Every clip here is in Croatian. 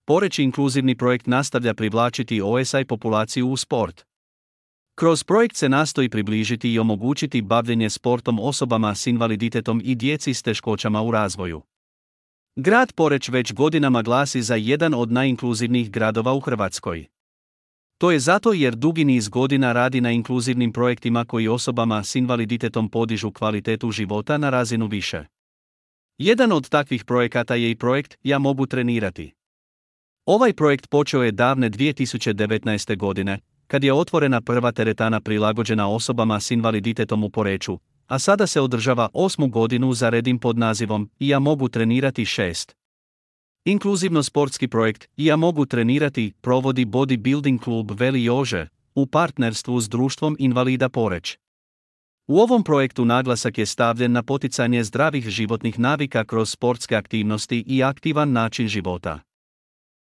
Poreč inkluzivni projekt nastavlja privlačiti OSI populaciju u sport. Kroz projekt se nastoji približiti i omogućiti bavljenje sportom osobama s invaliditetom i djeci s teškoćama u razvoju. Grad Poreč već godinama glasi za jedan od najinkluzivnijih gradova u Hrvatskoj. To je zato jer dugi niz godina radi na inkluzivnim projektima koji osobama s invaliditetom podižu kvalitetu života na razinu više. Jedan od takvih projekata je i projekt Ja mogu trenirati. Ovaj projekt počeo je davne 2019. godine, kad je otvorena prva teretana prilagođena osobama s invaliditetom u Poreču, a sada se održava 8. godinu za redom pod nazivom Ja mogu trenirati 6. Inkluzivno sportski projekt Ja mogu trenirati provodi bodybuilding klub Veli Jože u partnerstvu s Društvom invalida Poreč. U ovom projektu naglasak je stavljen na poticanje zdravih životnih navika kroz sportske aktivnosti i aktivan način života.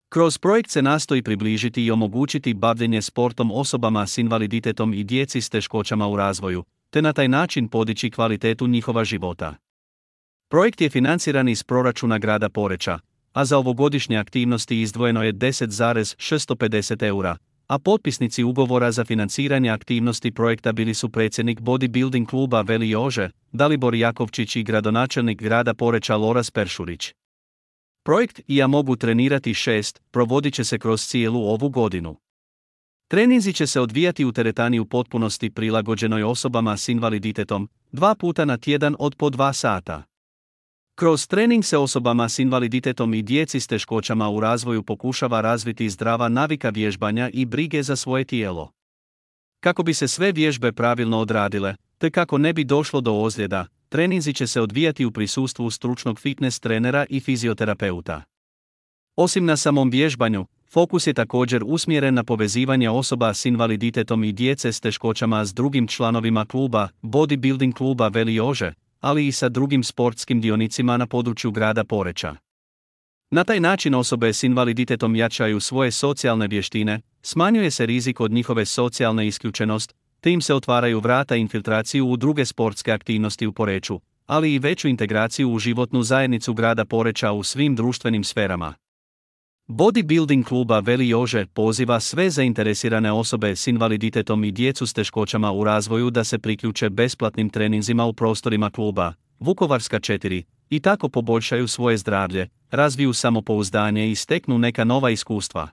Kroz projekt se nastoji približiti i omogućiti bavljenje sportom osobama s invaliditetom i djeci s teškoćama u razvoju, te na taj način podići kvalitetu njihova života. Projekt je financiran iz proračuna grada Poreča, a za ovogodišnje aktivnosti izdvojeno je 10,650 eura, a potpisnici ugovora za financiranje aktivnosti projekta bili su predsjednik bodybuilding kluba Veli Jože, Dalibor Jakovčić i gradonačelnik grada Poreča Loras Peršurić. Projekt Ja mogu trenirati 6 provodit će se kroz cijelu ovu godinu. Treninzi će se odvijati u teretani u potpunosti prilagođenoj osobama s invaliditetom, 2 puta na tjedan od po 2 sata. Kroz trening se osobama s invaliditetom i djeci s teškoćama u razvoju pokušava razviti zdrava navika vježbanja i brige za svoje tijelo. Kako bi se sve vježbe pravilno odradile, te kako ne bi došlo do ozljeda, treninzi će se odvijati u prisustvu stručnog fitness trenera i fizioterapeuta. Osim na samom vježbanju, fokus je također usmjeren na povezivanje osoba s invaliditetom i djece s teškoćama s drugim članovima kluba, bodybuilding kluba Veli Jože, ali i sa drugim sportskim dionicima na području grada Poreča. Na taj način osobe s invaliditetom jačaju svoje socijalne vještine, smanjuje se rizik od njihove socijalne isključenost, te im se otvaraju vrata infiltraciju u druge sportske aktivnosti u Poreču, ali i veću integraciju u životnu zajednicu grada Poreča u svim društvenim sferama. Bodybuilding kluba Veli Jože poziva sve zainteresirane osobe s invaliditetom i djecu s teškoćama u razvoju da se priključe besplatnim treninzima u prostorima kluba Vukovarska 4 i tako poboljšaju svoje zdravlje, razviju samopouzdanje i steknu neka nova iskustva.